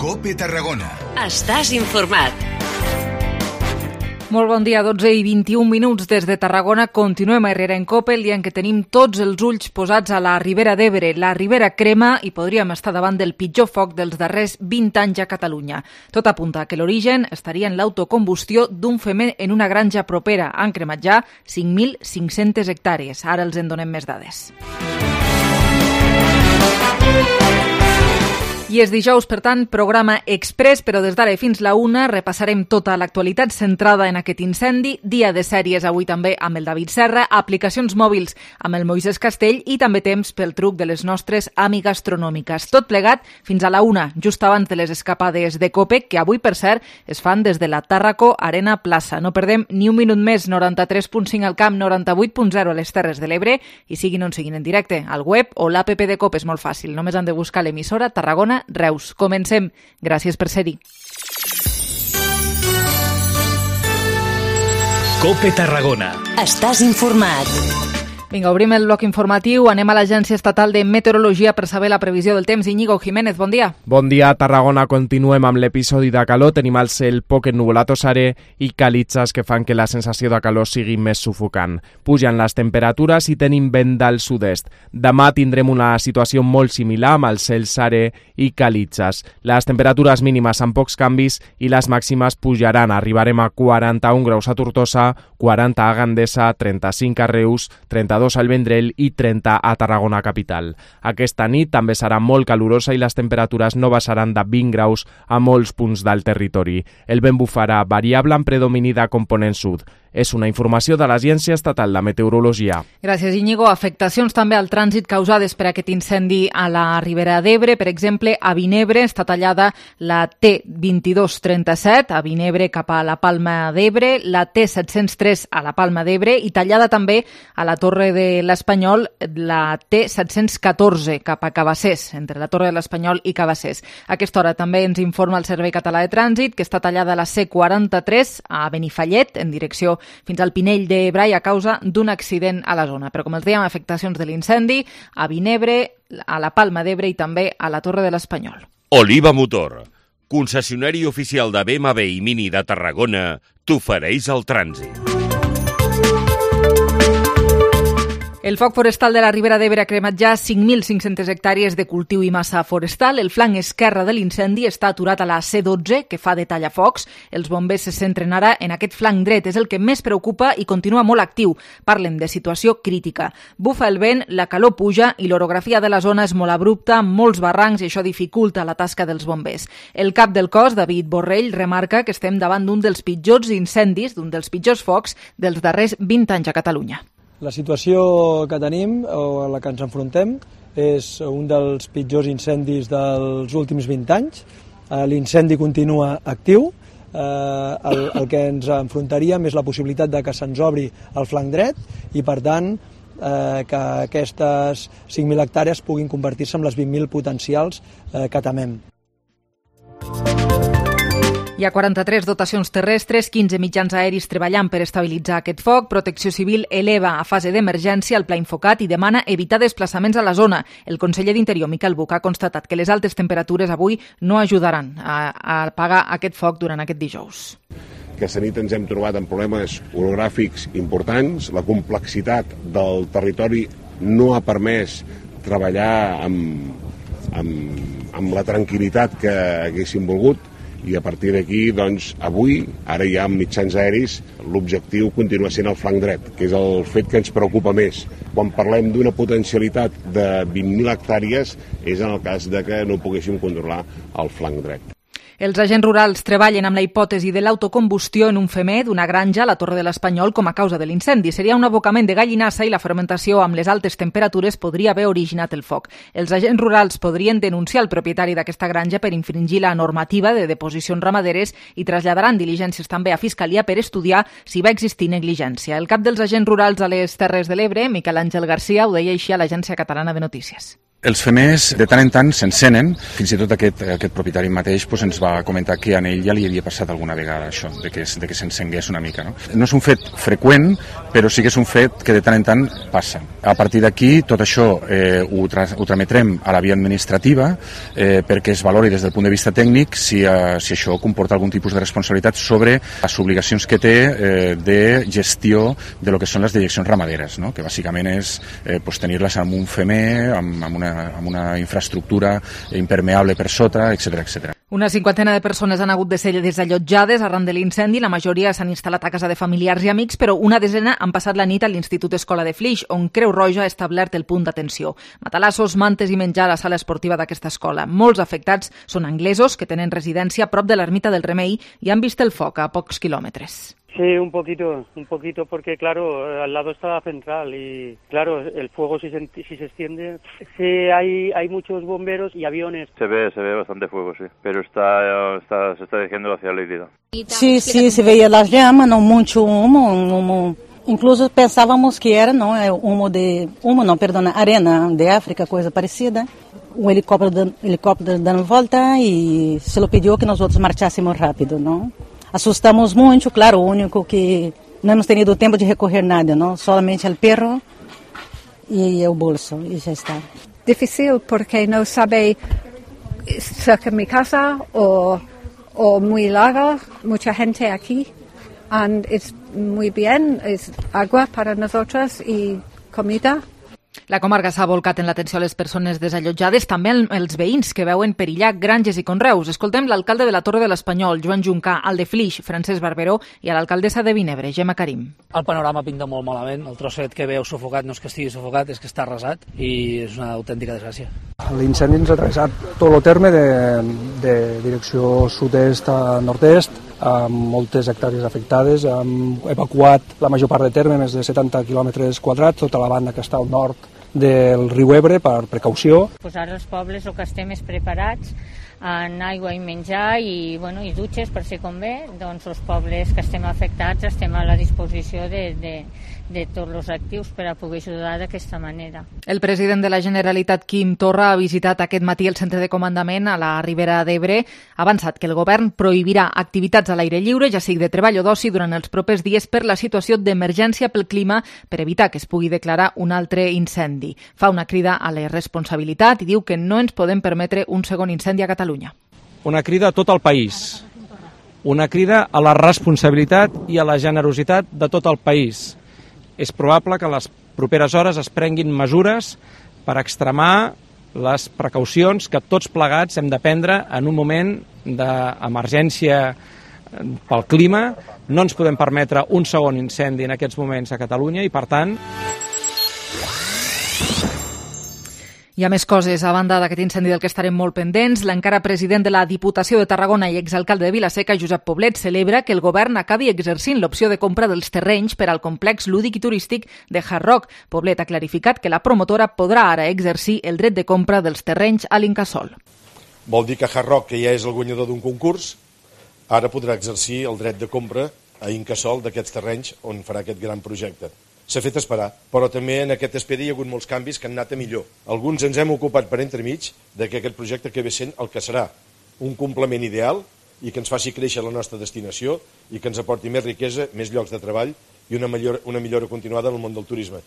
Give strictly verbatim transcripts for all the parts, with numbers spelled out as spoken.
COPE Tarragona. Estàs informat. Molt bon dia, dotze i vint-i-un minuts des de Tarragona. Continuem a Herrera en COPE, el dia en què tenim tots els ulls posats a la Ribera d'Ebre. La Ribera crema i podríem estar davant del pitjor foc dels darrers vint anys a Catalunya. Tot apunta que l'origen estaria en l'autocombustió d'un femer en una granja propera. Han cremat ja cinc mil cinc-centes hectàrees. Ara els en donem més dades. I és dijous, per tant, programa express, però des d'ara fins la una repassarem tota l'actualitat centrada en aquest incendi, dia de sèries avui també amb el David Serra, aplicacions mòbils amb el Moisés Castell i també temps pel truc de les nostres amigues gastronòmiques. Tot plegat fins a la una, just abans de les escapades de COPE, que avui, per cert, es fan des de la Tàrraco Arena Plaça. No perdem ni un minut més, noranta-tres punt cinc al camp, noranta-vuit punt zero a les Terres de l'Ebre, i siguin on siguin en directe, al web o l'app de COPE. És molt fàcil, només han de buscar l'emissora Tarragona Reus. Comencem. Gràcies per ser-hi. COPE Tarragona. Estàs informat. Vinga, obrim el bloc informatiu. Anem a l'Agència Estatal de Meteorologia per saber la previsió del temps. Íñigo Jiménez, bon dia. Bon dia, Tarragona. Continuem amb l'episodi de calor. Tenim al cel poc ennuvolat o serè i calitzes que fan que la sensació de calor sigui més sufocant. Pugen les temperatures i tenim vent del sud-est. Demà tindrem una situació molt similar amb el cel serè i calitzes. Les temperatures mínimes amb pocs canvis i les màximes pujaran. Arribarem a quaranta-un graus a Tortosa, quaranta a Gandesa, trenta-cinc a Reus, trenta-dos al Vendrell i trenta a Tarragona capital. Aquesta nit també serà molt calurosa i les temperatures no baixaran de vint graus a molts punts del territori. El vent bufarà variable en predomini de component sud. És una informació de l'Agència Estatal de Meteorologia. Gràcies, Íñigo. Afectacions també al trànsit causades per aquest incendi a la Ribera d'Ebre. Per exemple, a Vinebre està tallada la T vint-i-dos trenta-set, a Vinebre cap a la Palma d'Ebre, la T set-cents tres a la Palma d'Ebre i tallada també a la Torre de l'Espanyol la T set-cents catorze cap a Cabassers, entre la Torre de l'Espanyol i Cabassers. A aquesta hora també ens informa el Servei Català de Trànsit que està tallada la C quaranta-tres a Benifallet en direcció fins al Pinell de Brai a causa d'un accident a la zona. Però com els dèiem, afectacions de l'incendi a Vinebre, a la Palma d'Ebre i també a la Torre de l'Espanyol. Oliva Motor, concessionari oficial de B M W i Mini de Tarragona, t'ofereix el trànsit. El foc forestal de la Ribera d'Ebre ha cremat ja cinc mil cinc-centes hectàrees de cultiu i massa forestal. El flanc esquerre de l'incendi està aturat a la C dotze, que fa de tallafocs. Els bombers se centren ara en aquest flanc dret. És el que més preocupa i continua molt actiu. Parlen de situació crítica. Bufa el vent, la calor puja i l'orografia de la zona és molt abrupta, amb molts barrancs, i això dificulta la tasca dels bombers. El cap del cos, David Borrell, remarca que estem davant d'un dels pitjors incendis, d'un dels pitjors focs dels darrers vint anys a Catalunya. La situació que tenim, o a la que ens enfrontem, és un dels pitjors incendis dels últims vint anys. L'incendi continua actiu. El, el que ens enfrontaríem és la possibilitat de que se'ns obri el flanc dret i, per tant, que aquestes cinc mil hectàrees puguin convertir-se en les vint mil potencials que temem. Hi ha quaranta-tres dotacions terrestres, quinze mitjans aeris treballant per estabilitzar aquest foc. Protecció Civil eleva a fase d'emergència el pla Infocat i demana evitar desplaçaments a la zona. El conseller d'Interior, Miquel Buch, ha constatat que les altes temperatures avui no ajudaran a, a apagar aquest foc durant aquest dijous. Aquesta nit ens hem trobat amb problemes orogràfics importants. La complexitat del territori no ha permès treballar amb, amb, amb la tranquil·litat que haguéssim volgut. I a partir d'aquí, doncs, avui, ara ja amb mitjans aeris, l'objectiu continua sent el flanc dret, que és el fet que ens preocupa més. Quan parlem d'una potencialitat de vint mil hectàrees, és en el cas de que no poguéssim controlar el flanc dret. Els agents rurals treballen amb la hipòtesi de l'autocombustió en un femer d'una granja a la Torre de l'Espanyol com a causa de l'incendi. Seria un abocament de gallinassa i la fermentació amb les altes temperatures podria haver originat el foc. Els agents rurals podrien denunciar el propietari d'aquesta granja per infringir la normativa de deposicions ramaderes i traslladaran diligències també a Fiscalia per estudiar si va existir negligència. El cap dels agents rurals a les Terres de l'Ebre, Miquel Àngel Garcia, ho deia així a l'Agència Catalana de Notícies. Els femers de tant en tant s'encenen, fins i tot aquest, aquest propietari mateix doncs, ens va comentar que a ell ja li havia passat alguna vegada això, de que, de que s'encengués una mica. No? no és un fet freqüent, però sí que és un fet que de tant en tant passa. A partir d'aquí, tot això eh, ho, tra ho trametrem a la via administrativa eh, perquè es valori des del punt de vista tècnic si, eh, si això comporta algun tipus de responsabilitat sobre les obligacions que té eh, de gestió de lo que són les dejeccions ramaderes, no? Que bàsicament és eh, pues, tenir-les amb un femer, amb, amb una amb una infraestructura impermeable per sota, etcètera, etcètera. Una cinquantena de persones han hagut de ser desallotjades arran de l'incendi. La majoria s'han instal·lat a casa de familiars i amics, però una desena han passat la nit a l'Institut Escola de Flix, on Creu Roja ha establert el punt d'atenció. Matalassos, mantes i menjar a la sala esportiva d'aquesta escola. Molts afectats són anglesos que tenen residència a prop de l'ermita del Remei i han vist el foc a pocs quilòmetres. Sí, un poquito, un poquito, porque claro, al lado está la central y claro, el fuego si se, si se extiende, sí hay hay muchos bomberos y aviones. Se ve, se ve bastante fuego, sí, pero está, está se está dirigiendo hacia la isla. Sí, sí, se veía las llamas, no mucho humo, un humo. Incluso pensábamos que era, no, humo de, humo no, perdona, arena de África, coisa parecida. Um helicóptero, helicóptero dando volta e se lo pediu que nós outros marchássemos rápido, não? Assustamos muito, claro, o único que não hemos tenido tempo de recorrer nada, não? Solamente o perro e o bolso, e já está. Difícil porque não sabe cerca de mi casa o, o muy larga, mucha gente aquí, and es muy bien, es agua para nosotros y comida. La comarca s'ha volcat en l'atenció a les persones desallotjades, també els veïns que veuen perillar granges i conreus. Escoltem l'alcalde de la Torre de l'Espanyol, Joan Juncà, al de Flix, Francesc Barberó, i a l'alcaldessa de Vinebre, Gemma Karim. El panorama pinta molt malament. El trosset que veu sufocat no és que estigui sufocat, és que està arrasat i és una autèntica desgràcia. L'incendi ens ha travessat tot el terme de, de direcció sud-est a nord-est, amb moltes hectàrees afectades. Hem evacuat la major part de terme, més de setanta quilòmetres quadrats, tota la banda que està al nord del riu Ebre per precaució. Pues ara els pobles el que estem és preparats en aigua i menjar i, bueno, i dutxes per si convé, doncs els pobles que estem afectats estem a la disposició de, de, de tots els actius per a poder ajudar d'aquesta manera. El president de la Generalitat, Quim Torra, ha visitat aquest matí el centre de comandament a la Ribera d'Ebre. Ha avançat que el govern prohibirà activitats a l'aire lliure, ja sigui de treball o d'oci, durant els propers dies per la situació d'emergència pel clima per evitar que es pugui declarar un altre incendi. Fa una crida a la responsabilitat i diu que no ens podem permetre un segon incendi a Catalunya. Una crida a tot el país, una crida a la responsabilitat i a la generositat de tot el país. És probable que a les properes hores es prenguin mesures per extremar les precaucions que tots plegats hem de prendre en un moment d'emergència pel clima. No ens podem permetre un segon incendi en aquests moments a Catalunya i, per tant... Hi ha més coses. A banda d'aquest incendi del que estarem molt pendents, l'encara president de la Diputació de Tarragona i exalcalde de Vila-seca, Josep Poblet, celebra que el govern acabi exercint l'opció de compra dels terrenys per al complex lúdic i turístic de Hard Rock. Poblet ha clarificat que la promotora podrà ara exercir el dret de compra dels terrenys a l'Incasòl. Vol dir que Hard Rock, que ja és el guanyador d'un concurs, ara podrà exercir el dret de compra a Incasòl d'aquests terrenys on farà aquest gran projecte. S'ha fet esperar, però també en aquest espera hi ha hagut molts canvis que han anat a millor. Alguns ens hem ocupat per entremig de que aquest projecte acabi sent el que serà un complement ideal i que ens faci créixer la nostra destinació i que ens aporti més riquesa, més llocs de treball i una millora, una millora continuada en el món del turisme.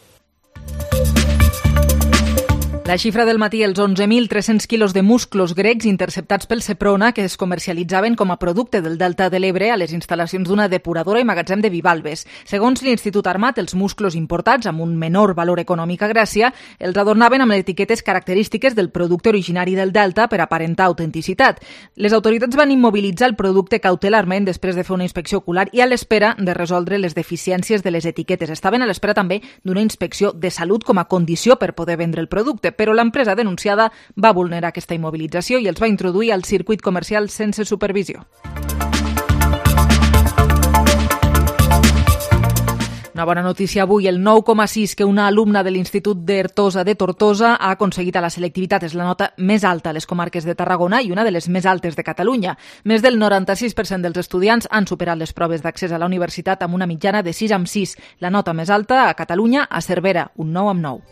La xifra del matí, els onze mil tres-cents quilos de musclos grecs interceptats pel Seprona que es comercialitzaven com a producte del Delta de l'Ebre a les instal·lacions d'una depuradora i magatzem de Vivalbes. Segons l'Institut Armat, els musclos importats, amb un menor valor econòmic a Grècia, els adornaven amb etiquetes característiques del producte originari del Delta per aparentar autenticitat. Les autoritats van immobilitzar el producte cautelarment després de fer una inspecció ocular i a l'espera de resoldre les deficiències de les etiquetes. Estaven a l'espera també d'una inspecció de salut com a condició per poder vendre el producte, però l'empresa denunciada va vulnerar aquesta immobilització i els va introduir al circuit comercial sense supervisió. Una bona notícia avui, el nou coma sis que una alumna de l'Institut d'Ertosa de Tortosa ha aconseguit a la selectivitat és la nota més alta a les comarques de Tarragona i una de les més altes de Catalunya. Més del noranta-sis per cent dels estudiants han superat les proves d'accés a la universitat amb una mitjana de sis amb sis. La nota més alta a Catalunya, a Cervera, un nou amb nou.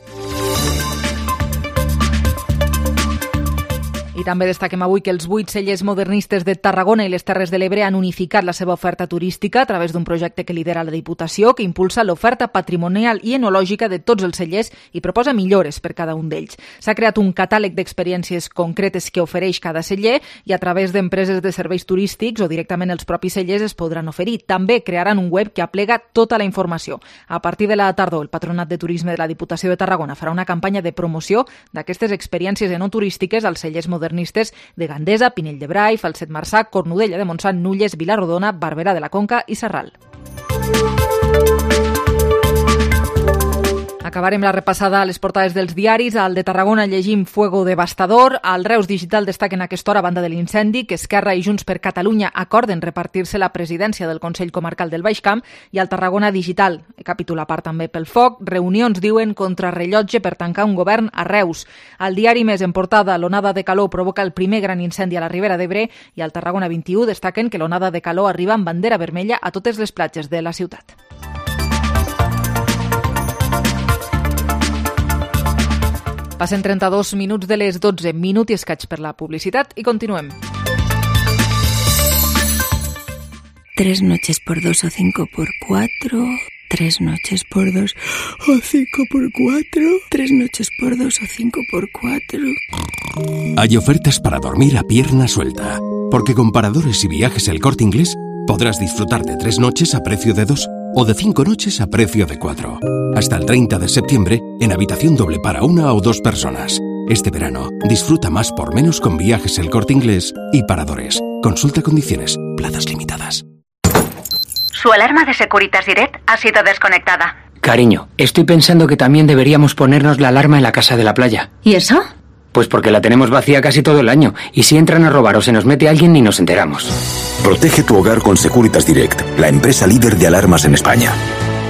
I també destaquem avui que els vuit cellers modernistes de Tarragona i les Terres de l'Ebre han unificat la seva oferta turística a través d'un projecte que lidera la Diputació, que impulsa l'oferta patrimonial i enològica de tots els cellers i proposa millores per cada un d'ells. S'ha creat un catàleg d'experiències concretes que ofereix cada celler i a través d'empreses de serveis turístics o directament els propis cellers es podran oferir. També crearan un web que aplega tota la informació. A partir de la tardor, el Patronat de Turisme de la Diputació de Tarragona farà una campanya de promoció d'aquestes experiències enoturístiques als cellers modernistes de Gandesa, Pinell de Brai, Falset Marçà, Cornudella de Montsant, Nulles, Vilarrodona, Barberà de la Conca i Sarral. Acabarem la repassada a les portades dels diaris. Al de Tarragona llegim Fuego devastador. Al Reus Digital destaquen a aquesta hora, a banda de l'incendi, que Esquerra i Junts per Catalunya acorden repartir-se la presidència del Consell Comarcal del Baix Camp. I al Tarragona Digital, capítol a part també pel foc, reunions, diuen, contra rellotge per tancar un govern a Reus. Al diari Més, en portada, l'onada de calor provoca el primer gran incendi a la Ribera d'Ebre. I al Tarragona vint-i-u destaquen que l'onada de calor arriba amb bandera vermella a totes les platges de la ciutat. Passen trenta-dos minuts de les dotze, minut i escaig per la publicitat i continuem. Tres noches por dos o cinco por cuatro, tres noches por dos o cinco por cuatro, tres noches por dos o cinco por cuatro. Hay ofertas para dormir a pierna suelta, porque con Paradores y Viajes El Corte Inglés podrás disfrutar de tres noches a precio de dos o de cinco noches a precio de cuatro. Hasta el treinta de septiembre, en habitación doble para una o dos personas. Este verano, disfruta más por menos con Viajes El Corte Inglés y Paradores. Consulta condiciones, plazas limitadas. Su alarma de Securitas Direct ha sido desconectada. Cariño, estoy pensando que también deberíamos ponernos la alarma en la casa de la playa. ¿Y eso? Pues porque la tenemos vacía casi todo el año, y si entran a robar o se nos mete alguien ni nos enteramos. Protege tu hogar con Securitas Direct, la empresa líder de alarmas en España.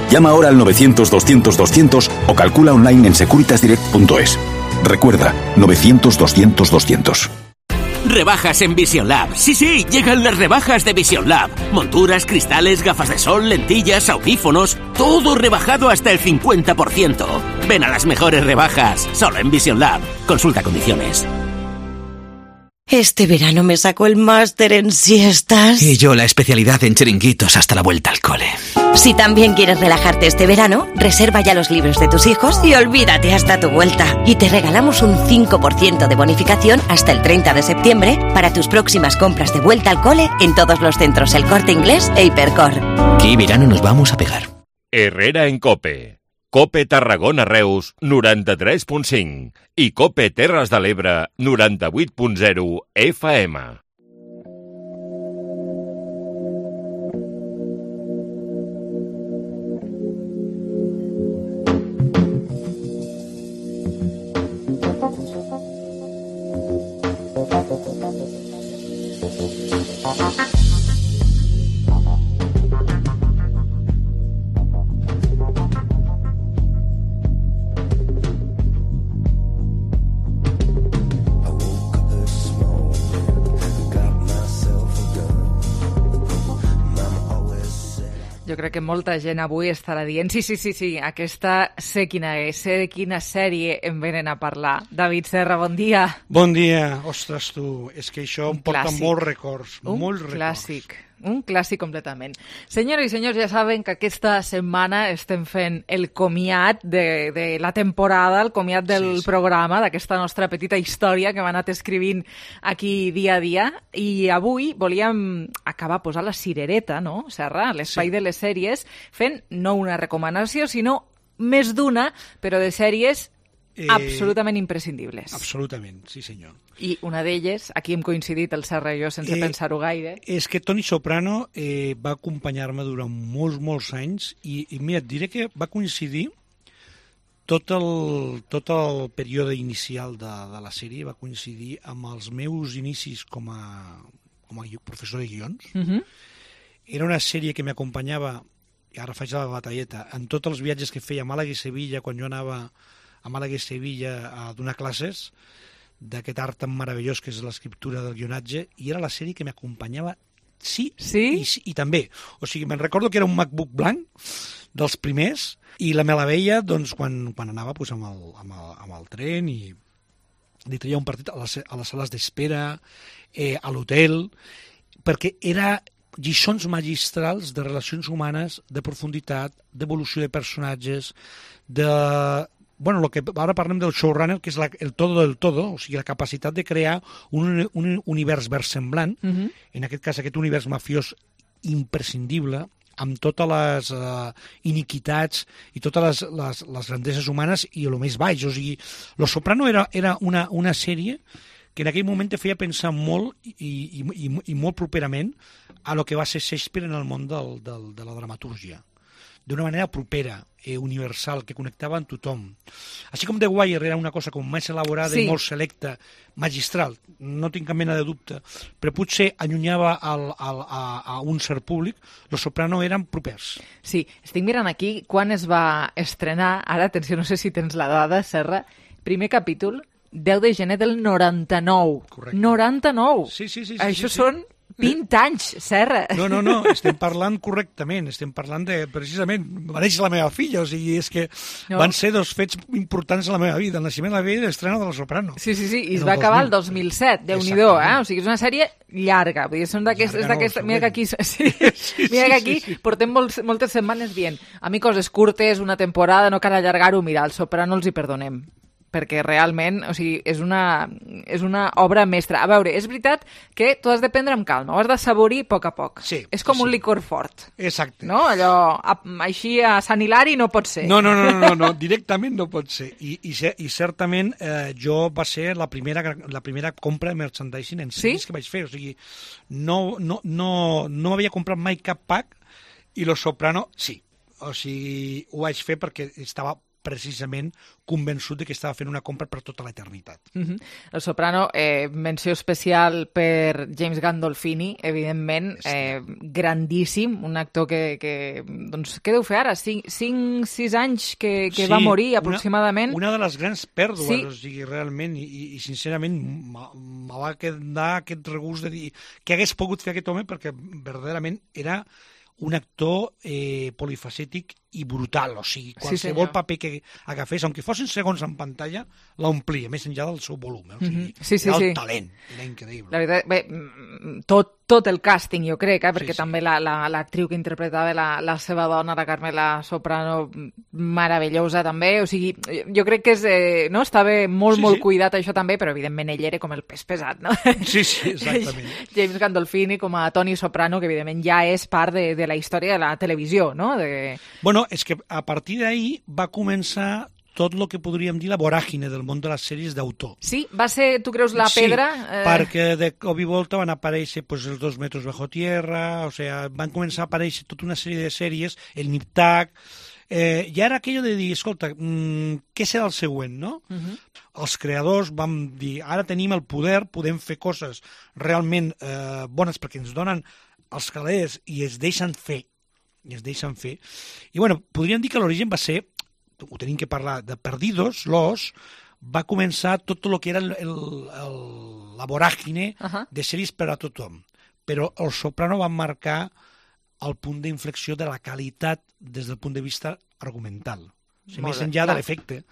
Llama ahora al novecientos doscientos doscientos o calcula online en securitas direct punto es. Recuerda, novecientos doscientos doscientos. Rebajas en Vision Lab. Sí, sí, llegan las rebajas de Vision Lab. Monturas, cristales, gafas de sol, lentillas, audífonos, todo rebajado hasta el cincuenta por ciento. Ven a las mejores rebajas, solo en Vision Lab. Consulta condiciones. Este verano me sacó el máster en siestas. Y yo la especialidad en chiringuitos hasta la vuelta al cole. Si también quieres relajarte este verano, reserva ya los libros de tus hijos y olvídate hasta tu vuelta. Y te regalamos un cinco por ciento de bonificación hasta el treinta de septiembre para tus próximas compras de vuelta al cole en todos los centros El Corte Inglés e Hipercor. ¿Qué verano nos vamos a pegar? Herrera en COPE. COPE Tarragona Reus noranta-tres punt cinc i COPE Terres de l'Ebre noranta-vuit punt zero F M. Jo crec que molta gent avui estarà dient sí, sí, sí, sí, aquesta sé quina és, sé de quina sèrie em venen a parlar. David Serra, bon dia. Bon dia. Ostres, tu, és que això em porta clàssic. molts records, un molts records. Clàssic. Un clàssic completament. Senyores i senyors, ja saben que aquesta setmana estem fent el comiat de, de la temporada, el comiat del sí, sí. programa, d'aquesta nostra petita història que hem anat escrivint aquí dia a dia, i avui volíem acabar posant la cirereta, no, Serra, a l'espai sí. de les sèries, fent no una recomanació, sinó més d'una, però de sèries Eh, absolutament imprescindibles. Absolutament, sí senyor. I una d'elles, aquí hem coincidit el Serra i jo sense eh, pensar-ho gaire. És que Toni Soprano eh, va acompanyar-me durant molts, molts anys i, i mira, et diré que va coincidir tot el, tot el període inicial de, de la sèrie, va coincidir amb els meus inicis com a, com a professor de guions. Uh-huh. Era una sèrie que m'acompanyava, i ara faig la batalleta, en tots els viatges que feia a Màlaga i Sevilla, quan jo anava a Màlaga i Sevilla a donar classes d'aquest art tan meravellós que és l'escriptura del guionatge, i era la sèrie que m'acompanyava sí, sí? I, i també. O sigui, me'n recordo que era un MacBook blanc dels primers i la me la veia doncs, quan, quan anava pues, amb, el, amb, el, amb el tren i, li treia un partit a les, a les sales d'espera, eh, a l'hotel, perquè era lliçons magistrals de relacions humanes, de profunditat, d'evolució de personatges, de... Bueno, lo que ara parlem del showrunner, que és la, el todo del todo, o sigui, la capacitat de crear un, un univers versemblant, uh-huh. en aquest cas aquest univers mafiós imprescindible, amb totes les uh, iniquitats i totes les, les, les grandeses humanes i el més baix. O sigui, Lo Soprano era, era una, una sèrie que en aquell moment te feia pensar molt i, i, i, i molt properament a lo que va ser Shakespeare en el món del, del, de la dramatúrgia. D'una manera propera, eh, universal, que connectava amb tothom. Així com The Wire era una cosa com més elaborada sí. i molt selecta, magistral, no tinc cap mena de dubte, però potser allunyava al, al, a, a un cert públic, Los Soprano eren propers. Sí, estic mirant aquí quan es va estrenar, ara, atenció, no sé si tens la dada, Serra, primer capítol, deu de gener del noranta-nou. Correcte. noranta-nou! Sí, sí, sí. sí Això sí, són... Sí. vint anys, Serra. No, no, no, estem parlant correctament, estem parlant de, precisament, va néixer la meva filla, o sigui, és que no. van ser dos fets importants a la meva vida, el naixement de la vida i l'estrena de Los Soprano. Sí, sí, sí, i es va acabar el dos mil set, Déu-n'hi-do, eh? O sigui, és una sèrie llarga, vull dir, són d'aquestes... Mira que aquí, sí, sí, mira que aquí sí, sí, sí. portem molts, moltes setmanes dient, a mi coses curtes, una temporada, no cal allargar-ho, mira, el Soprano els hi perdonem, perquè realment, o sigui, és una, és una obra mestra. A veure, és veritat que tu has de prendre amb calma, ho has de saborir a poc a poc. Sí, és com sí. un licor fort. Exacte. No? Allò, a, així a Sant Hilari no pot ser. No, no, no, no, no directament no pot ser. I, i, i certament eh, jo va ser la primera, la primera compra de merchandising en sèries sí? que vaig fer. O sigui, no, no, no, no havia comprat mai cap pack i Los Soprano sí. O sigui, ho vaig fer perquè estava precisament convençut de que estava fent una compra per tota l'eternitat. Uh-huh. El Soprano, eh, menció especial per James Gandolfini, evidentment, eh, grandíssim, un actor que, que doncs, què deu fer ara? cinc, sis anys que, que sí, va morir aproximadament. Una, una de les grans pèrdues, sí. o sigui, realment, i, i sincerament me va quedar aquest regust de dir què hagués pogut fer aquest home, perquè verdaderament era un actor eh, polifacètic i brutal, o sigui, qualsevol sí, paper que agafés, aunque fossin segons en pantalla, l'omplia, més enllà del seu volum. Eh? O sigui, mm-hmm. sí, sí, era el sí. talent, era increïble. La veritat, bé, tot, tot el càsting, jo crec, eh? perquè sí, sí. també l'actriu la, la, que interpretava la, la seva dona, la Carmela Soprano, meravellosa també, o sigui, jo crec que és, eh, no? estava molt, sí, molt sí. cuidat això també, però evidentment ell era com el pes pesat, no? Sí, sí, exactament. James Gandolfini com a Tony Soprano, que evidentment ja és part de, de la història de la televisió, no? De... Bueno, és que a partir d'ahir va començar tot el que podríem dir la voràgine del món de les sèries d'autor. Sí? Va ser, tu creus, la pedra? Sí, eh... perquè de cop i volta van aparèixer pues, els dos metres bajo tierra, o sea, van començar a aparèixer tota una sèrie de sèries, el Nip-Tuck, eh, i ara aquello de dir, escolta, mmm, què serà el següent, no? Uh-huh. Els creadors vam dir, ara tenim el poder, podem fer coses realment eh, bones perquè ens donen els calés i es deixen fer, i es deixen fer. I bueno, podríem dir que l'origen va ser, ho tenim que parlar, de Perdidos, l'Os, va començar tot el que era el, el, el, la voràgine uh-huh. de sèries per a tothom. Però el Soprano va marcar el punt d'inflexió de la qualitat des del punt de vista argumental. O sigui, més enllà de l'efecte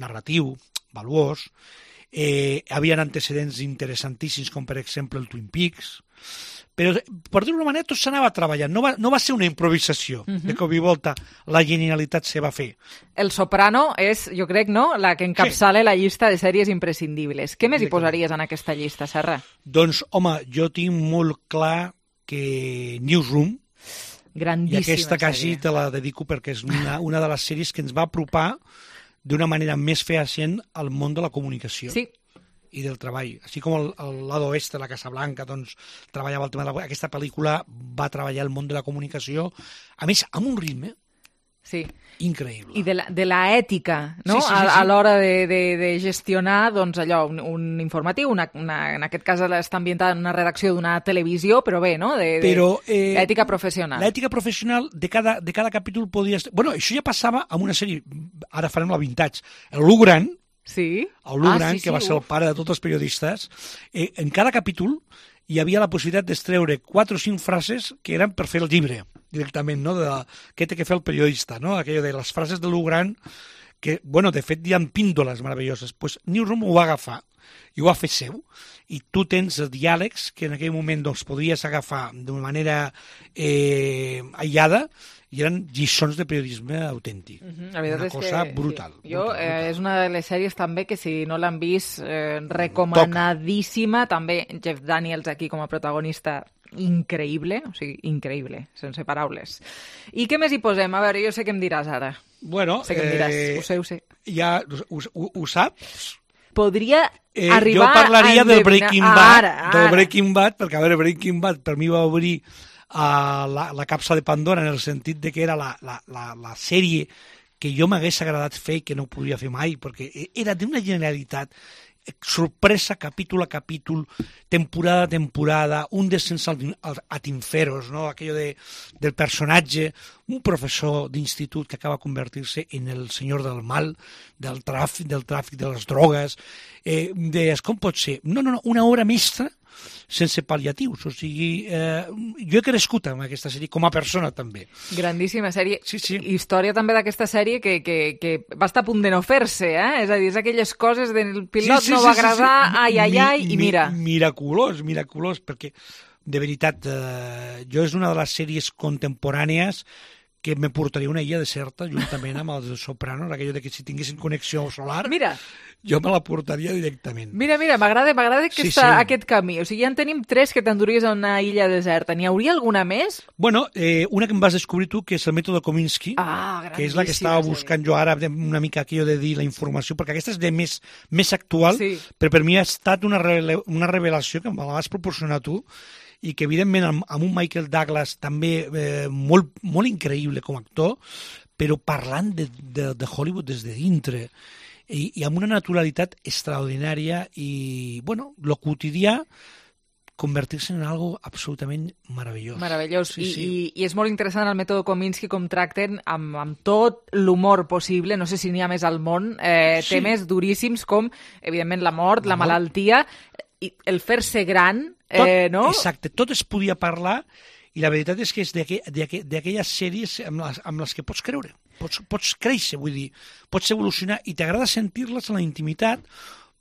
narratiu, valuós, eh, havien antecedents interessantíssims com per exemple el Twin Peaks, però per dir-ho d'una manera tot s'anava treballant, no va, no va ser una improvisació uh-huh. de cop i volta la genialitat se va fer. El Soprano és, jo crec, no, la que encapçala sí. la llista de sèries imprescindibles. Què més hi posaries en aquesta llista, Serra? Doncs, home, jo tinc molt clar que Newsroom, grandíssima i aquesta quasi sèrie. te la dedico perquè és una, una de les sèries que ens va apropar d'una manera més fehacient al món de la comunicació. Sí. I del treball. Així com el, el Lado Oeste, la Casa Blanca, doncs, treballava el tema de la... Aquesta pel·lícula va treballar el món de la comunicació, a més, amb un ritme sí. increïble. I de la, de la ètica, no? Sí, sí, sí, sí. A, a l'hora de, de, de gestionar, doncs, allò, un, un informatiu, una, una, en aquest cas està ambientada en una redacció d'una televisió, però bé, no? De, de, però, eh, l'ètica professional. L'ètica professional de cada, de cada capítol podia... Bueno, això ja passava amb una sèrie, ara farem la vintage, el Lou Grant, sí? el Lou ah, Grant, sí, sí, que va ser el pare de tots els periodistes, eh, en cada capítol hi havia la possibilitat d'extreure quatre o cinc frases que eren per fer el llibre, directament, no? De què té que fer el periodista, no? Aquello de les frases de Lou Grant, que, bueno, de fet hi ha píndoles meravelloses. Pues Newsroom ho va agafar i ho ha fet seu, i tu tens diàlegs que en aquell moment doncs, podries agafar d'una manera eh, aïllada i eren lliçons de periodisme autèntic. Uh-huh. Una cosa que, brutal. Sí. Jo, brutal, eh, brutal. És una de les sèries també que si no l'han vist, eh, recomanadíssima. Toca. També Jeff Daniels aquí com a protagonista, increïble, o sigui, increïble, sense paraules. I què més hi posem? A veure, jo sé què em diràs ara. Bueno, sé què em diràs, eh, ho sé, ho sé. Ja ho, ho, ho saps? Podria eh, arribar jo parlaria a del Breaking Bad, ara, ara. del Breaking Bad, perquè a veure, Breaking Bad per mi va obrir a la, la capsa de Pandora en el sentit de que era la, la, la, la sèrie que jo m'hagués agradat fer i que no podia fer mai, perquè era d'una generalitat, sorpresa capítol a capítol, temporada a temporada, un descens ad inferos, ¿no? Aquello de, del personatge, un professor d'institut que acaba convertir-se en el senyor del mal, del tràfic, del tràfic de les drogues, eh, deies, com pot ser? No, no, no, una obra mestra sense pal·liatius, o sigui, eh, jo he crescut amb aquesta sèrie com a persona també. Grandíssima sèrie. Sí, sí. Història també d'aquesta sèrie que, que, que va estar a punt de no fer-se, eh? És a dir, és aquelles coses del pilot sí, sí, no va agradar, sí, sí. ai, ai, ai, mi, i mira. Mi, miraculós, miraculós, perquè de veritat, eh, jo és una de les sèries contemporànies que me portaria una illa deserta juntament amb els Sopranos, aquello de que si tinguessin connexió solar, mira, jo me la portaria directament. Mira, mira, m'agrada m'agrada sí, aquesta, sí. aquest camí. O sigui, ja en tenim tres que t'enduries a una illa deserta. N'hi hauria alguna més? Bueno, eh, una que em vas descobrir tu, que és el mètode Kominsky, ah, que és la que estava buscant jo ara, una mica aquello de dir la informació, perquè aquesta és de més, més actual, sí. però per mi ha estat una, rele, una revelació que me la vas proporcionar tu, i que evidentment amb, amb un Michael Douglas també eh, molt, molt increïble com a actor, però parlant de, de, de Hollywood des de dintre, i, i amb una naturalitat extraordinària i, bueno, lo quotidià convertir-se en algo absolutament meravellós. Meravellós. Sí, I, sí. I, I és molt interessant el mètode Kominsky com tracten amb, amb tot l'humor possible, no sé si n'hi ha més al món, eh, sí. temes duríssims com, evidentment, la mort, la, la malaltia, i el fer-se gran, tot, eh, no? Exacte, tot es podia parlar i la veritat és que és d'aquelles sèries amb les, amb les que pots creure, pots, pots créixer, vull dir, pots evolucionar i t'agrada sentir-les en la intimitat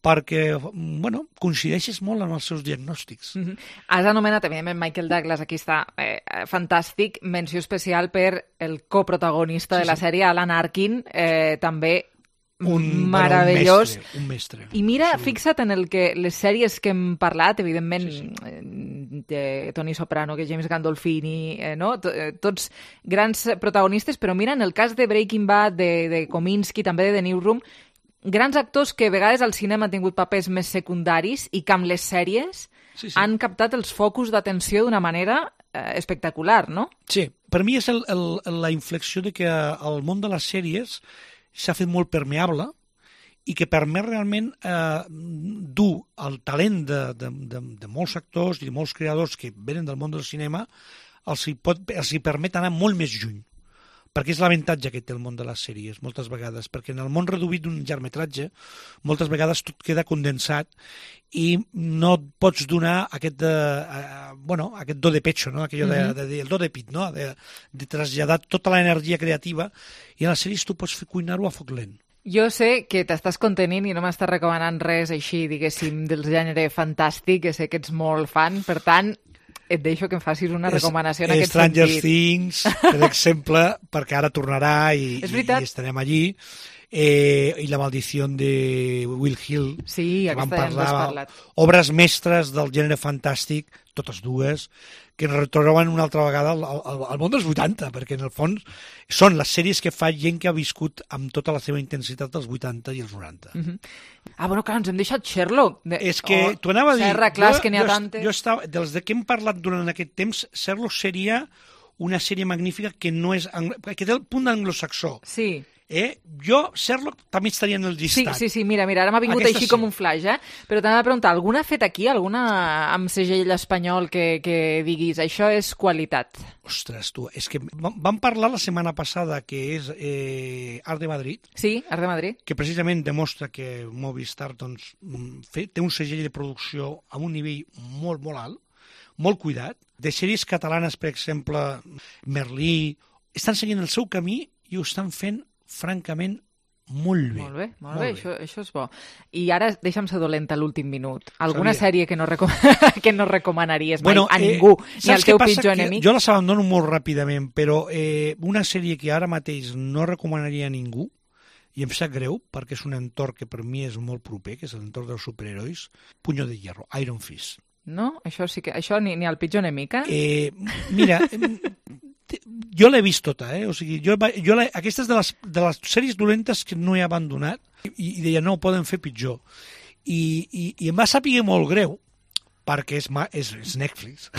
perquè, bueno, coincideixes molt en els seus diagnòstics. Mm-hmm. Has anomenat, evidentment, Michael Douglas, aquí està eh, fantàstic, menció especial per el coprotagonista sí, de la sí. sèrie, Alan Arkin, eh, també un meravellós. Bueno, un mestre, un mestre. I mira, sí. fixa't en el que les sèries que hem parlat, evidentment, sí, sí. de Tony Soprano, que James Gandolfini, eh, no? Tots grans protagonistes, però mira, en el cas de Breaking Bad, de, de Kominsky, també de The Newsroom, grans actors que a vegades al cinema han tingut papers més secundaris i que amb les sèries sí, sí. han captat els focus d'atenció d'una manera eh, espectacular, no? Sí, per mi és el, el, la inflexió de que el món de les sèries s'ha fet molt permeable i que permet realment eh, dur el talent de, de, de, de molts actors i de molts creadors que venen del món del cinema, els hi, pot, els hi permet anar molt més lluny. Perquè és l'avantatge que té el món de les sèries, moltes vegades, perquè en el món reduït d'un llargmetratge, moltes vegades tot queda condensat i no et pots donar aquest, de, uh, bueno, aquest do de pecho, no? Aquello mm-hmm. de, de, de, el do de pit, no? de, de traslladar tota l'energia creativa i en les sèries tu pots fer cuinar-ho a foc lent. Jo sé que t'estàs contenint i no m'estàs recomanant res així, diguéssim, del gènere fantàstic, que sé que ets molt fan, per tant, et deixo que em facis una recomanació en aquest Stranger sentit. Stranger Things, per exemple, perquè ara tornarà i, i, i estarem allí. Eh, i La maldició de Will Hill, sí, que vam parlar, parlar, obres mestres del gènere fantàstic, totes dues, que ens retroben una altra vegada al, al, al món dels vuitanta, perquè en el fons són les sèries que fa gent que ha viscut amb tota la seva intensitat dels vuitanta i els noranta. Uh-huh. Ah, bueno, clar, ens hem deixat Sherlock. De... És que oh, t'ho anava a dir, Serra, clar, jo, que n'hi ha jo, tantes. Jo estava, dels de què hem parlat durant aquest temps, Sherlock seria una sèrie magnífica que no és que té el punt anglosaxó. Sí. Eh? Jo, Sherlock, també estaria en el llistat. Sí, sí, sí, mira, mira, ara m'ha vingut Aquesta així sí. com un flash, eh? Però t'anava a preguntar, alguna ha fet aquí, alguna amb segell espanyol que, que diguis, això és qualitat? Ostres, tu, és que vam parlar la setmana passada, que és eh, Art de Madrid. Sí, Art de Madrid. Que precisament demostra que Movistar doncs, té un segell de producció a un nivell molt, molt alt, molt cuidat. De sèries catalanes, per exemple, Merlí, estan seguint el seu camí i ho estan fent francament molt bé. Molt bé, molt, molt bé, bé. Això, això és bo. I ara deixa'm ser dolenta l'últim minut. Alguna Sabia. sèrie que no, recom que no recomanaries mai Bueno, a eh, ningú, ni al saps què teu passa? pitjor Que enemic? jo les abandono molt ràpidament, però eh, una sèrie que ara mateix no recomanaria a ningú, i em sap greu, perquè és un entorn que per mi és molt proper, que és l'entorn dels superherois, Puño de Hierro, Iron Fist. No? Això sí que... Això ni, ni al pitjor enemic, eh? Eh, mira, jo l'he vist tota, eh? O sigui, jo, jo la, aquesta és de les, de les sèries dolentes que no he abandonat i, i deia, no, poden fer pitjor. I, i, i em va saber molt greu, perquè és, és, és Netflix,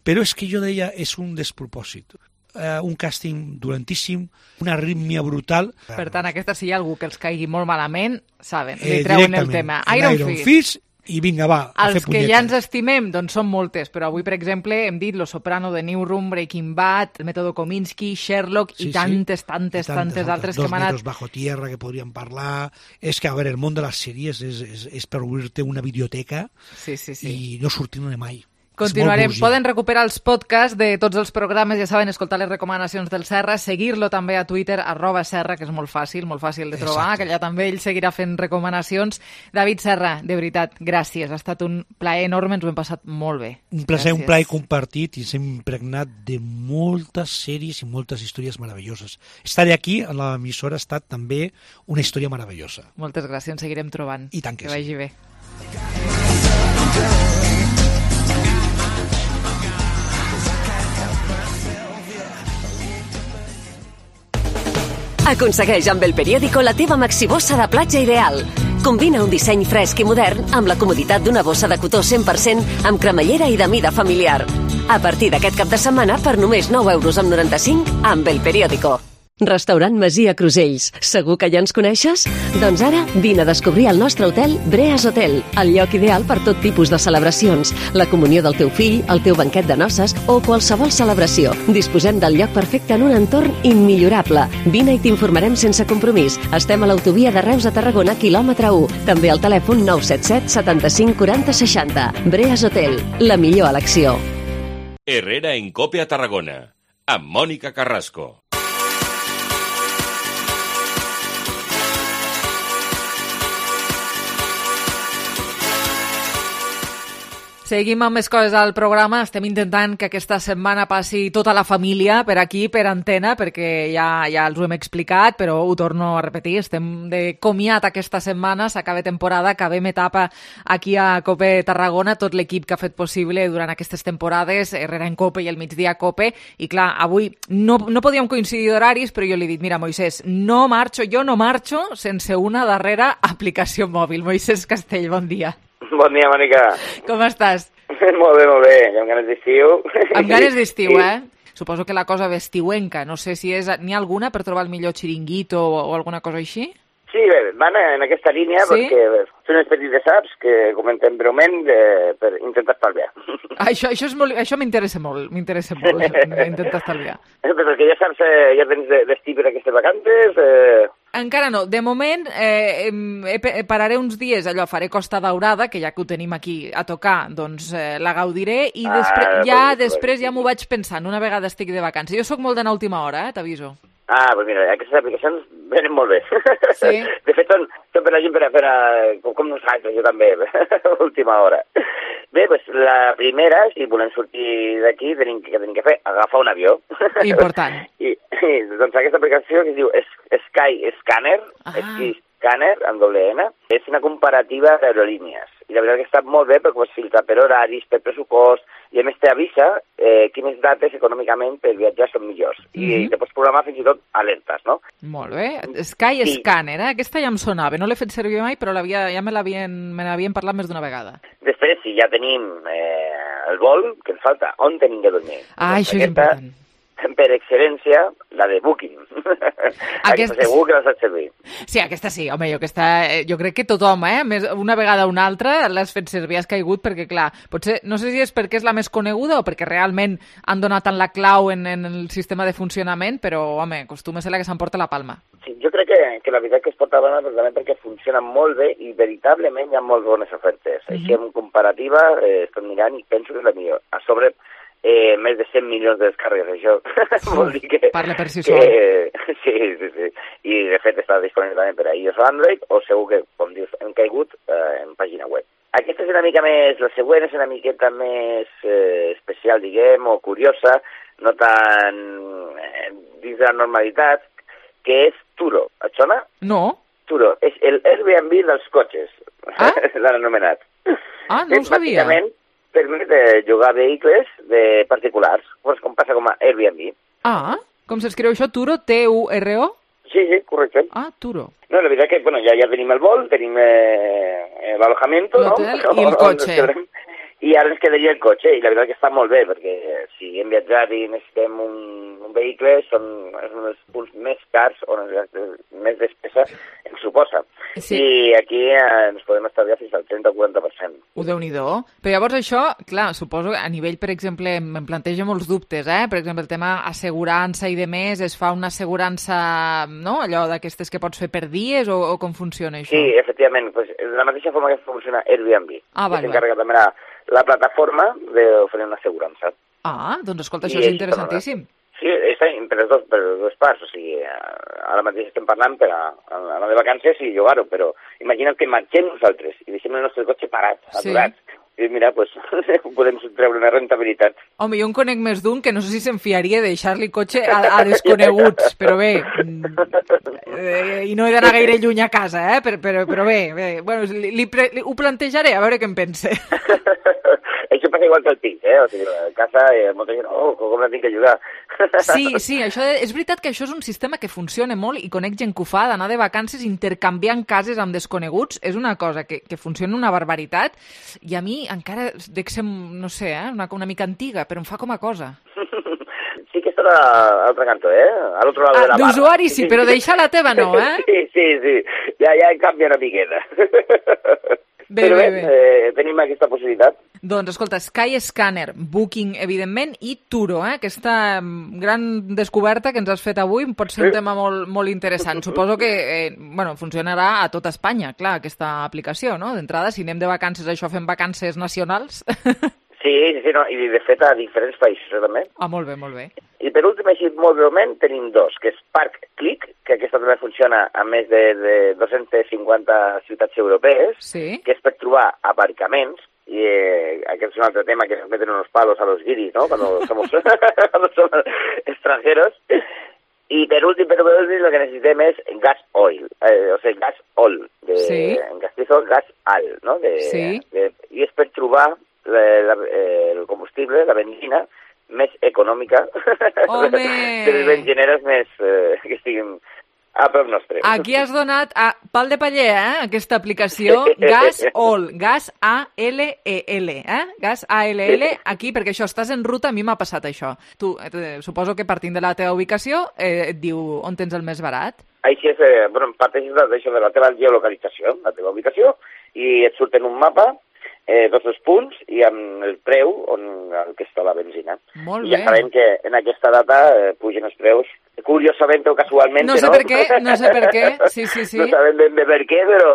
però és que jo deia, és un despropòsit. Uh, un càsting dolentíssim, una arrítmia brutal. Per tant, aquesta, si hi ha algú que els caigui molt malament, saben, li Eh, treuen el tema. Iron, Iron Fist. Fist, i vinga, va, a fer Els que punyetes. ja ens estimem, doncs són moltes, però avui, per exemple, hem dit Los Soprano, The Newsroom, Breaking Bad, Método Kominsky, Sherlock Sí, i sí. tantes, tantes, I tantes altres que Dos hem anat... metros bajo tierra que podríem parlar. És que, a veure, el món de les sèries és, és, és per obrir-te una biblioteca Sí, sí, sí. i no sortir-ne mai. Continuarem. És molt Poden recuperar els podcasts de tots els programes, ja saben, escoltar les recomanacions del Serra, seguir-lo també a Twitter, arroba Serra, que és molt fàcil, molt fàcil de trobar, Exacte. que allà també ell seguirà fent recomanacions. David Serra, de veritat, gràcies. Ha estat un plaer enorme, ens ho hem passat molt bé. Un plaer, Gràcies. un plaer compartit i s'hem impregnat de moltes sèries i moltes històries meravelloses. Estar aquí a l'emissora ha estat també una història meravellosa. Moltes gràcies, ens seguirem trobant. I tant que que sí. vagi bé. Aconsegueix amb el periòdico la teva maxibossa de platja ideal. Combina un disseny fresc i modern amb la comoditat d'una bossa de cotó cent per cent amb cremallera i de mida familiar. A partir d'aquest cap de setmana, per només nou euros amb noranta-cinc, amb el periòdico. Restaurant Masia Crusells. Segur que ja ens coneixes? Doncs ara vine a descobrir el nostre hotel Breas Hotel, el lloc ideal per tot tipus de celebracions, la comunió del teu fill, el teu banquet de noces o qualsevol celebració. Disposem del lloc perfecte en un entorn immillorable. Vine i t'informarem sense compromís. Estem a l'autovia de Reus a Tarragona, quilòmetre u. També al telèfon nou set set setanta-cinc quaranta seixanta. Breas Hotel, la millor elecció. Herrera en Cope a Tarragona, amb Mònica Carrasco. Seguim amb més coses al programa. Estem intentant que aquesta setmana passi tota la família per aquí, per antena, perquè ja, ja els ho hem explicat, però ho torno a repetir. Estem de comiat aquesta setmana, s'acaba temporada, acabem etapa aquí a Cope Tarragona, tot l'equip que ha fet possible durant aquestes temporades, Herrera en Cope i el migdia Cope, i clar, avui no, no podíem coincidir d'horaris, però jo li he dit, mira, Moisés, no marxo, jo no marxo sense una darrera aplicació mòbil. Moisés Castell, bon dia. Bon dia, Mònica. Com estàs? Molt bé, molt bé. Amb ganes d'estiu. Amb ganes d'estiu, eh? Suposo que la cosa ve estiuenca. No sé si és... N'hi ha alguna per trobar el millor xiringuito o, o alguna cosa així? Sí, bé, van en aquesta línia Sí? perquè són els petits de saps que comentem breument de, per intentar estalviar. Això, això, és molt, això m'interessa molt, m'interessa molt, intentar estalviar. Perquè ja saps, eh, ja tens destí per aquestes vacances... Eh... Encara no. De moment eh, eh, pararé uns dies, allò, faré Costa Daurada, que ja que ho tenim aquí a tocar, doncs eh, la gaudiré, i Ah, després, ja pues, després pues. ja m'ho vaig pensant, una vegada estic de vacances. Jo sóc molt d'anar a última hora, eh, t'aviso. Ah, doncs mira, aquestes aplicacions venen molt bé. Sí. De fet, són, són per la gent per a fer, a, com, com nosaltres, jo també, a última hora. Bé, doncs la primera, si volem sortir d'aquí, tenim, que tenim que fer? Agafar un avió. Important. I, i doncs aquesta aplicació que es diu Sky Scanner, Ah. Sky Scanner, amb doble N, és una comparativa d'aerolínies. I la veritat que està molt bé perquè pots filtrar per horaris, per pressupost, i a més t'avisa eh, quines dates econòmicament per viatjar són millors. I Mhm. te pots programar fins i tot alertes, no? Molt bé. Sky Sí. Scanner, eh? Aquesta ja em sonava. No l'he fet servir mai, però ja me l'havien me n'havien parlat més d'una vegada. Després, si ja tenim eh, el vol, que ens falta, on tenim que dormir? Ah, Doncs això és aquesta, important. per excel·lència, la de Booking. Aquesta segur que la saps servir. Sí, aquesta sí, home, jo, aquesta, eh, jo crec que tothom, eh, més, una vegada o una altra, l'has fet servir, has caigut, perquè clar, potser, no sé si és perquè és la més coneguda o perquè realment han donat tant la clau en, en el sistema de funcionament, però, home, acostuma a ser la que s'emporta la palma. Sí, jo crec que, que la veritat que es porta bona precisament perquè funciona molt bé i veritablement hi ha molt bones ofertes. Mhm. Així, en comparativa, eh, estic mirant i penso que és la millor. A sobre, eh, més de cent milions de descàrregues, això. Vol dir que... Parla per si que, sol. Sí, sí, sí. I, de fet, està disponible també per a iOS o Android, o segur que, com dius, hem caigut eh, en pàgina web. Aquesta és una mica més... La següent és una miqueta més eh, especial, diguem, o curiosa, no tan eh, dins de la normalitat, que és Turo. Et sona? No. Turo. És el Airbnb dels cotxes, ah? l'han anomenat. Ah, no ho sabia. Bàsicament, permet de llogar vehicles de particulars, com passa com a Airbnb. Ah, com s'escriu això? Turo? T U R O? Sí, sí, correcte. Ah, Turo. No, la veritat que, bueno, ja, ja tenim el vol, tenim eh, l'alojamiento, no? L'hotel i el cotxe. I ara ens quedaria el cotxe, i la veritat que està molt bé, perquè si hem viatjat i necessitem un, un vehicle, són uns punts més cars o més despesa ens suposa. Sí. I aquí eh, ens podem estalviar fins al trenta o quaranta per cent. Ho Déu-n'hi-do. Però llavors això, clar, suposo que a nivell, per exemple, em planteja molts dubtes, eh? Per exemple, el tema assegurança i de més, es fa una assegurança, no?, allò d'aquestes que pots fer per dies, o, o com funciona això? Sí, efectivament, pues, de la mateixa forma que funciona Airbnb. Ah, vale, que s'encarrega també la, la plataforma d'oferir una assegurança. Ah, doncs escolta, això I és interessantíssim. Sí, està per les dos, per les dues parts, o sigui, ara mateix estem parlant per a, a anar de vacances i llogar-ho, però imagina't que marxem nosaltres i deixem el nostre cotxe parat, aturat. Sí. I mira, doncs, pues, podem treure una rentabilitat. Home, jo en conec més d'un que no sé si se'n fiaria de deixar-li cotxe a, a desconeguts, però bé, eh, i no he d'anar gaire lluny a casa, eh? però, però, però bé, bé. Bueno, li, li, li, ho plantejaré, a veure què en pense. Això passa igual que el pis, eh? O sigui, a casa eh, molta gent, oh, com la tinc que ajudar. Sí, sí, això és veritat que això és un sistema que funciona molt i conec gent que ho fa, d'anar de vacances intercanviant cases amb desconeguts, és una cosa que, que funciona una barbaritat, i a mi encara dec ser, no sé, eh, una, una mica antiga, però em fa com a cosa. Sí que està a l'altre cantó, eh? A l'altre lado ah, de la barra. D'usuari sí, però deixar la teva no, eh? Sí, sí, sí. Ja, ja canvia una miqueta. Bé, però bé, bé, bé. Eh, tenim aquesta possibilitat. Doncs, escolta, Skyscanner, Booking, evidentment, i Turo, eh? Aquesta gran descoberta que ens has fet avui pot ser un tema molt, molt interessant. Suposo que eh, bueno, funcionarà a tota Espanya, clar, aquesta aplicació, no? D'entrada, si anem de vacances, això fem vacances nacionals. Sí, sí, no, i de fet a diferents països, eh, també. Ah, molt bé, molt bé. I per últim, així molt breument, tenim dos, que és Park Click, que aquesta també funciona a més de, de dos-centes cinquanta ciutats europees, sí. Que és per trobar aparcaments, y eh, aquest és un altre tema que nos meten unos palos a los guiris, ¿no? Cuando somos, cuando somos extranjeros. Y per últim, per últim, lo que necessitem és gas oil, eh, o sigui, gas oil, de, sí. En castellà gas al, no? De, sí. De, I és per trobar la, la, el combustible, la benzina, més econòmica, Home! de les benzineres més eh, que estiguin a prop nostre. Aquí has donat a pal de paller, eh? Aquesta aplicació, Gas All, Gas A L E L, eh? Gas A L L, aquí, perquè això, estàs en ruta, a mi m'ha passat això. Tu, eh, suposo que partint de la teva ubicació, eh, et diu on tens el més barat. Així és, eh, bueno, parteixes d'això de la teva geolocalització, la teva ubicació, i et surt en un mapa eh, tots els punts i amb el preu on el que està la benzina. Molt I ja bé. sabem que en aquesta data eh, pugen els preus, curiosament o casualment, no? No sé per què, no sé per què, sí, sí, sí. No sabem ben bé per què, però...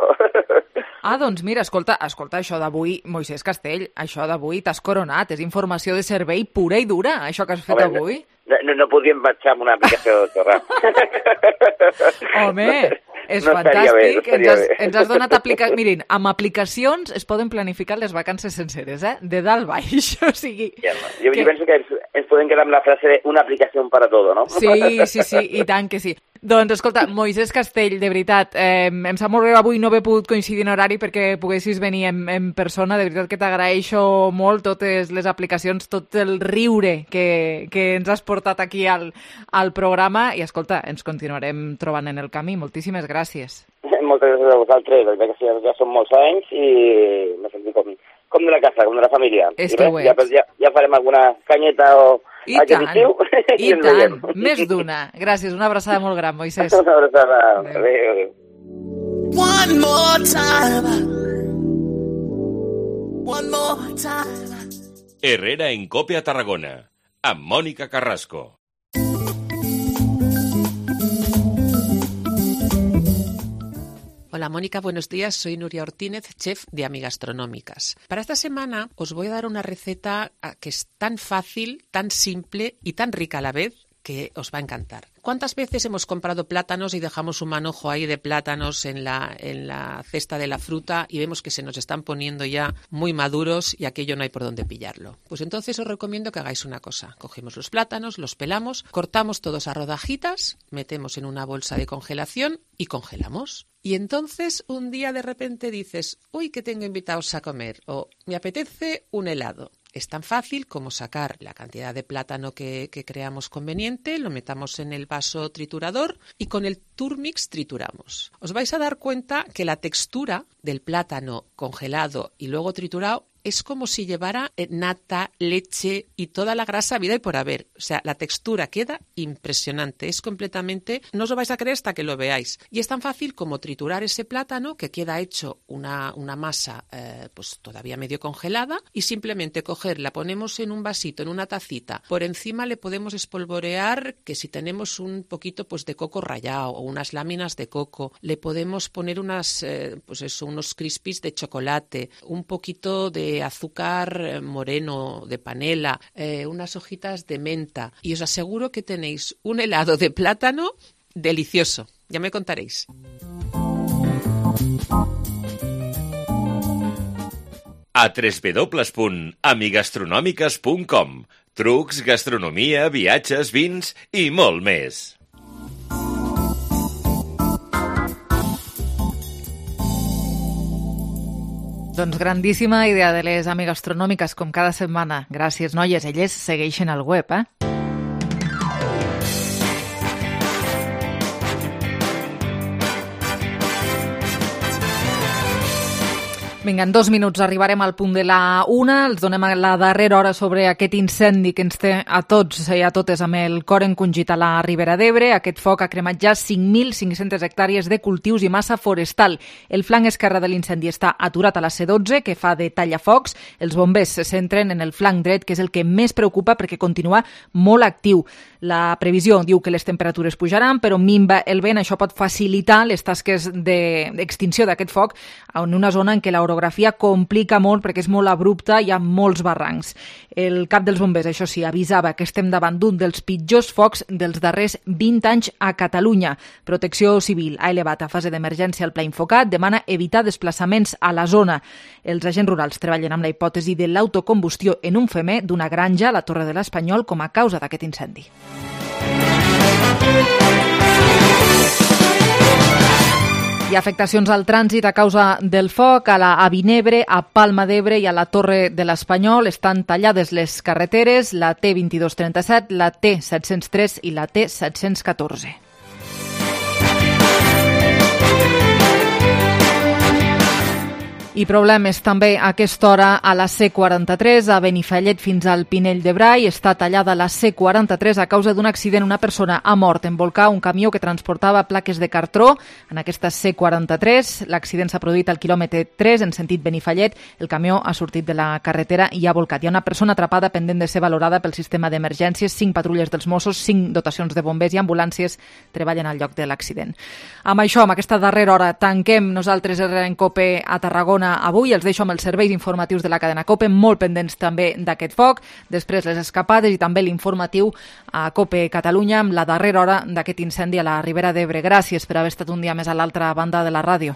Ah, doncs mira, escolta, escolta, això d'avui, Moisès Castell, això d'avui t'has coronat, és informació de servei pura i dura, això que has fet Home, avui. No, no, no podríem marxar amb una aplicació de Torra. Home, és no fantàstic, bé, no ens, has, bé. ens has donat aplicacions... Mirin, amb aplicacions es poden planificar les vacances senceres, eh? De dalt baix, o sigui... Ja, no. Jo, que... jo penso que ens, ens podem quedar amb la frase de una aplicació para todo, no? Sí, sí, sí, i tant que sí. Doncs, escolta, Moisès Castell, de veritat, eh, em sap molt greu avui no haver pogut coincidir en horari perquè poguessis venir en, en persona, de veritat que t'agraeixo molt totes les aplicacions, tot el riure que, que ens has portat aquí al, al programa, i escolta, ens continuarem trobant en el camí. Moltíssimes gràcies. Moltes gràcies a vosaltres, perquè ja, ja són molts anys i m'he sentit com, com de la casa, com de la família. És I que res, ho ja, ets. ja, ja farem alguna canyeta o... I tant, i tant, més d'una. Gràcies, una abraçada molt gran, Moisès. Una abraçada, adéu, adéu. One more time. One more time. Herrera en Cope a Tarragona, amb Mònica Carrasco. Hola Mónica, buenos días. Soy Nuria Ortínez, chef de Amigastronómicas. Para esta semana os voy a dar una receta que es tan fácil, tan simple y tan rica a la vez que os va a encantar. ¿Cuántas veces hemos comprado plátanos y dejamos un manojo ahí de plátanos en la, en la cesta de la fruta y vemos que se nos están poniendo ya muy maduros y aquello no hay por dónde pillarlo? Pues entonces os recomiendo que hagáis una cosa. Cogemos los plátanos, los pelamos, cortamos todos a rodajitas, metemos en una bolsa de congelación y congelamos. Y entonces un día de repente dices, uy, que tengo invitados a comer, o me apetece un helado. Es tan fácil como sacar la cantidad de plátano que, que creamos conveniente, lo metamos en el vaso triturador y con el Turmix trituramos. Os vais a dar cuenta que la textura del plátano congelado y luego triturado es como si llevara nata, leche y toda la grasa habida y por haber. O sea, la textura queda impresionante. Es completamente... No os lo vais a creer hasta que lo veáis. Y es tan fácil como triturar ese plátano que queda hecho una, una masa eh, pues todavía medio congelada y simplemente coger, la ponemos en un vasito, en una tacita. Por encima le podemos espolvorear que si tenemos un poquito pues de coco rallado o unas láminas de coco, le podemos poner unas, eh, pues eso, unos crispies de chocolate, un poquito de azúcar moreno, de panela, eh, unas hojitas de menta y os aseguro que tenéis un helado de plátano delicioso. Ya me contaréis. A w w w punt amigastronòmiques punt com. Trucs, gastronomia, viatges, vins i molt més. Doncs grandíssima idea de les amigastronòmiques, com cada setmana. Gràcies, noies. Elles segueixen al web, eh? Vinga, en dos minuts arribarem al punt de la una. Els donem la darrera hora sobre aquest incendi que ens té a tots i a totes amb el cor encongit a la Ribera d'Ebre. Aquest foc ha cremat ja cinc mil cinc-centes hectàrees de cultius i massa forestal. El flanc esquerre de l'incendi està aturat a la C dotze, que fa de tallafocs. Els bombers se centren en el flanc dret, que és el que més preocupa perquè continua molt actiu. La previsió diu que les temperatures pujaran, però minva el vent. Això pot facilitar les tasques d'extinció d'aquest foc en una zona en què l'orografia complica molt perquè és molt abrupta, hi ha molts barrancs. El cap dels bombers, això sí, avisava que estem davant d'un dels pitjors focs dels darrers vint anys a Catalunya. Protecció Civil ha elevat a fase d'emergència el pla Infocat, demana evitar desplaçaments a la zona. Els agents rurals treballen amb la hipòtesi de l'autocombustió en un femer d'una granja a la Torre de l'Espanyol com a causa d'aquest incendi. Hi ha afectacions al trànsit a causa del foc a la a Vinebre, a Palma d'Ebre i a la Torre de l'Espanyol. Estan tallades les carreteres, la T vint-i-dos trenta-set, la T set-cents tres i la T set-cents catorze. I problemes també a aquesta hora a la C quaranta-tres, a Benifallet fins al Pinell de Brai. Està tallada la C quaranta-tres a causa d'un accident. Una persona ha mort en volcar un camió que transportava plaques de cartró en aquesta C quaranta-tres. L'accident s'ha produït al quilòmetre tres en sentit Benifallet. El camió ha sortit de la carretera i ha volcat. Hi ha una persona atrapada pendent de ser valorada pel sistema d'emergències. Cinc patrulles dels Mossos, cinc dotacions de bombers i ambulàncies treballen al lloc de l'accident. Amb això, amb aquesta darrera hora, tanquem nosaltres en COPE a Tarragona avui. Els deixo amb els serveis informatius de la cadena COPE, molt pendents també d'aquest foc, després les escapades i també l'informatiu a COPE Catalunya amb la darrera hora d'aquest incendi a la Ribera d'Ebre. Gràcies per haver estat un dia més a l'altra banda de la ràdio.